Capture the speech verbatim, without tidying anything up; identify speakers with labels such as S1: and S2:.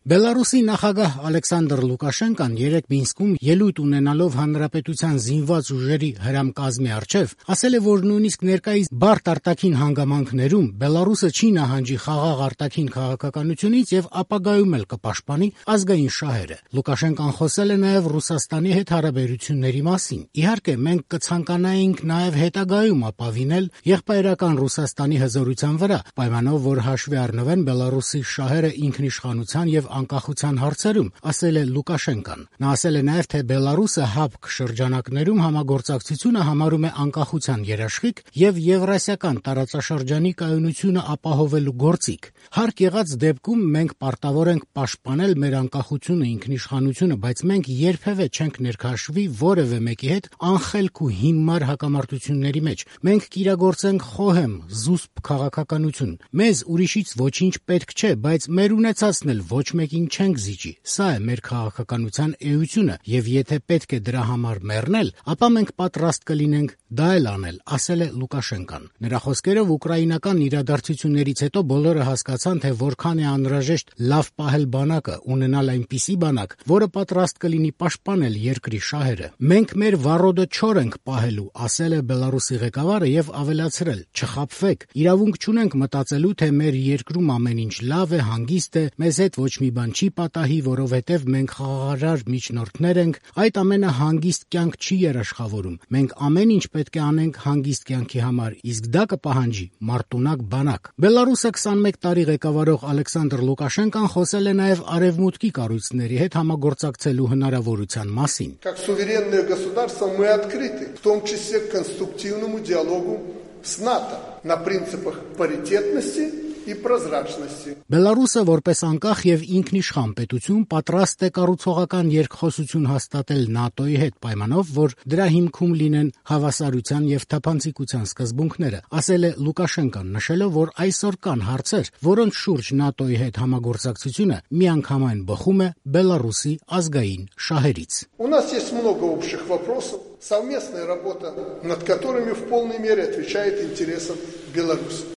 S1: Բելարուսի նախագահ Ալեքսանդր Լուկաշենկան երեկ Մինսկում ելույթ ունենալով հանրապետության զինված ուժերի հրամկազմի առջև ասել է, որ նույնիսկ ներկայիս բարդ արտաքին հանգամանքներում Բելարուսը չի նահանջի խաղաղ արտաքին քաղաքականությունից եւ ապագայում էլ կպաշտպանի ազգային շահերը։ Լուկաշենկան խոսել է նաեւ Ռուսաստանի հետ հարաբերությունների մասին։ Իհարկե, մենք կցանկանայինք նաեւ հետագայում ապավինել եղբայրական Ռուսաստանի հզորության վրա, պայմանով որ հաշվի առնվեն Բելարուսի շահերը ինքնիշխանության եւ անկախության հարցերում, ասել է Լուկաշենկան։ Նա ասել է նաեւ, թե Բելարուսը հապկ շրջանակներում համագործակցությունը համարում է անկախության երաշխիք եւ եվրասիական տարածաշրջանի կայունությունը ապահովելու գործիք։ Հարկ եղած դեպքում մենք պարտավոր ենք պաշտպանել մեր անկախությունը, ինքնիշխանությունը, բայց մենք երբևէ չենք ներքաշվի որևէ մեկի հետ անխելք ու հիմար հակամարտությունների մեջ։ Մենք կիրագործենք խոհեմ, զուսպ քաղաքականություն։ Մեզ ուրիշից ոչինչ պետք չէ, բայց մեր ունեցածն էլ ոչ մեկին չենք զիջի։ Սա է մեր քաղաքականության էությունը, եւ եթե պետք է դրա համար մեռնել, ապա մենք պատրաստ կլինենք դա էլ անել, ասել է Լուկաշենկան։ Նրա խոսքերով ուկրաինական իրադարձություններից հետո բոլորը հասկացան, թե որքան է անհրաժեշտ լավ պահել բանակը, ունենալ այնպիսի բանակ, որը պատրաստ կլինի պաշտպանել երկրի շահերը։ Մենք մեր վառոդը չոր ենք պահելու, ասել է Բելարուսի ղեկավարը եւ ավելացրել. չխաբվեք, իրավունք չունենք մտածելու, թե մեր երկրում ամեն ինչ լավ է, հանգիստ է, մեզ հետ ոչ մի բան չի պատահի, որովհետև մենք խաղաղարար միջնորդներ ենք, այդ ամենը հանգիստ կյանք չի երաշխավորում։ Մենք ամեն ինչ պետք է անենք հանգիստ կյանքի համար, իսկ դա կպահանջի մարտունակ բանակ։ Բելարուսը քսանմեկ տարի ղեկավարող Ալեքսանդր Լուկաշենկան խոսել է նաև արևմուտքի կառույցների հետ համագործակցելու հնարավորության մասին։
S2: Как суверенное государство мы открыты, в том числе к конструктивному диалогу с НАТО на принципах паритетности и прозрачности.
S1: Բելարուսը որպես անկախ եւ ինքնիշխան պետություն պատրաստ է կառուցողական երկխոսություն հաստատել ՆԱՏՕ-ի հետ, պայմանով, որ դրա հիմքում լինեն հավասարության եւ թափանցիկության սկզբունքները, ասել է Լուկաշենկան, նշելով, որ այսօր կան հարցեր, որոնց շուրջ ՆԱՏՕ-ի հետ համագործակցությունը միանգամայն բխում է Բելարուսի ազգային շահերից։
S2: У нас есть много общих вопросов, совместная работа, над которыми в полной мере отвечает интересам Беларуси.